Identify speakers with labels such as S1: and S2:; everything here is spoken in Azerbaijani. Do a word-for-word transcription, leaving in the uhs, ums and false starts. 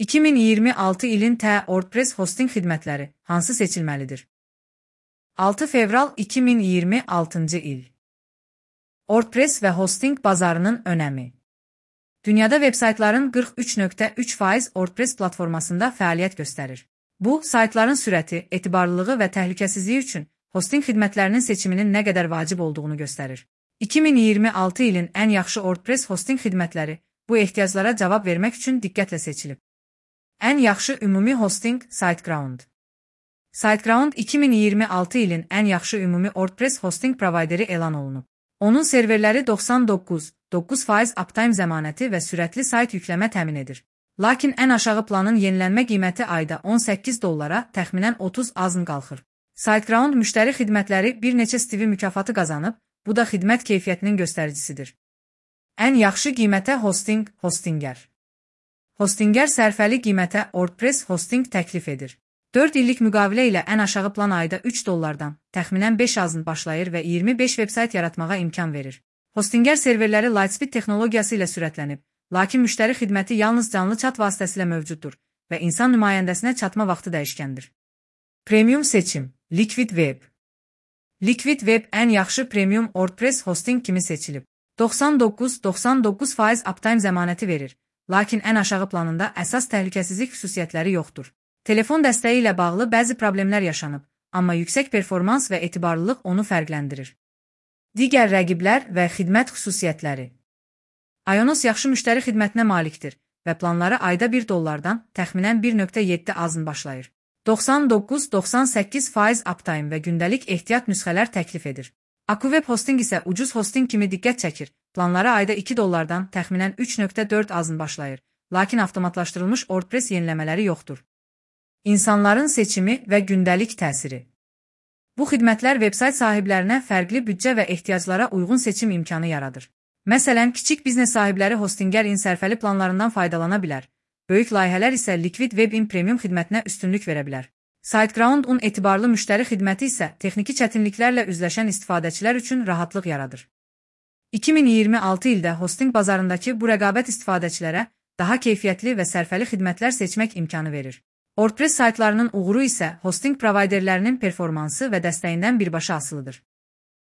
S1: iki min iyirmi altı ilin T WordPress hosting xidmətləri hansı seçilməlidir? altı fevral iki min iyirmi altıncı il. WordPress və hosting bazarının önəmi. Dünyada veb-saytların qırx üç nöqtə üç faiz WordPress platformasında fəaliyyət göstərir. Bu, saytların sürəti, etibarlılığı və təhlükəsizliyi üçün hosting xidmətlərinin seçiminin nə qədər vacib olduğunu göstərir. iki min iyirmi altı ilin ən yaxşı WordPress hosting xidmətləri bu ehtiyaclara cavab vermək üçün diqqətlə seçilib. Ən yaxşı ümumi hosting SiteGround. SiteGround iki min iyirmi altı ilin ən yaxşı ümumi WordPress hosting provideri elan olunub. Onun serverləri doxsan doqquz nöqtə doqquz faiz uptime zəmanəti və sürətli sayt yükləmə təmin edir. Lakin ən aşağı planın yenilənmə qiyməti ayda on səkkiz dollara, təxminən otuz azın qalxır. SiteGround müştəri xidmətləri bir neçə Stevie mükafatı qazanıb, bu da xidmət keyfiyyətinin göstəricisidir. Ən yaxşı qiymətə hosting, Hostinger. Hostinger sərfəli qiymətə WordPress hosting təklif edir. dörd illik müqavilə ilə ən aşağı plan ayda üç dollardan, təxminən beş azın başlayır və iyirmi beş veb-sayt yaratmağa imkan verir. Hostinger serverləri Lightspeed texnologiyası ilə sürətlənib, lakin müştəri xidməti yalnız canlı chat vasitəsilə mövcuddur və insan nümayəndəsinə çatma vaxtı dəyişkəndir. Premium seçim, Liquid Web. Liquid Web ən yaxşı premium WordPress hosting kimi seçilib. doxsan doqquz nöqtə doxsan doqquz faiz uptime zəmanəti verir, lakin ən aşağı planında əsas təhlükəsizlik xüsusiyyətləri yoxdur. Telefon dəstəyi ilə bağlı bəzi problemlər yaşanıb, amma yüksək performans və etibarlılıq onu fərqləndirir. Digər rəqiblər və xidmət xüsusiyyətləri. Ionos yaxşı müştəri xidmətinə malikdir və planları ayda bir dollardan, təxminən bir nöqtə yeddi azın başlayır. doxsan doqquz nöqtə doxsan səkkiz faiz uptime və gündəlik ehtiyat nüsxələr təklif edir. AkuWeb hosting isə ucuz hosting kimi diqqət çəkir, planları ayda iki dollardan, təxminən üç nöqtə dörd azın başlayır, lakin avtomatlaşdırılmış WordPress yeniləmələri yoxdur. İnsanların seçimi və gündəlik təsiri. Bu xidmətlər veb-sayt sahiblərinə fərqli büdcə və ehtiyaclara uyğun seçim imkanı yaradır. Məsələn, kiçik biznes sahibləri Hostinger-in sərfəli planlarından faydalana bilər, böyük layihələr isə Liquid Web-in premium xidmətinə üstünlük verə bilər. SiteGround-un etibarlı müştəri xidməti isə texniki çətinliklərlə üzləşən istifadəçilər üçün rahatlıq yaradır. iki min iyirmi altı ildə hosting bazarındakı bu rəqabət istifadəçilərə daha keyfiyyətli və sərfəli xidmətlər seçmək imkanı verir. WordPress saytlarının uğuru isə hosting providerlərinin performansı və dəstəyindən birbaşa asılıdır.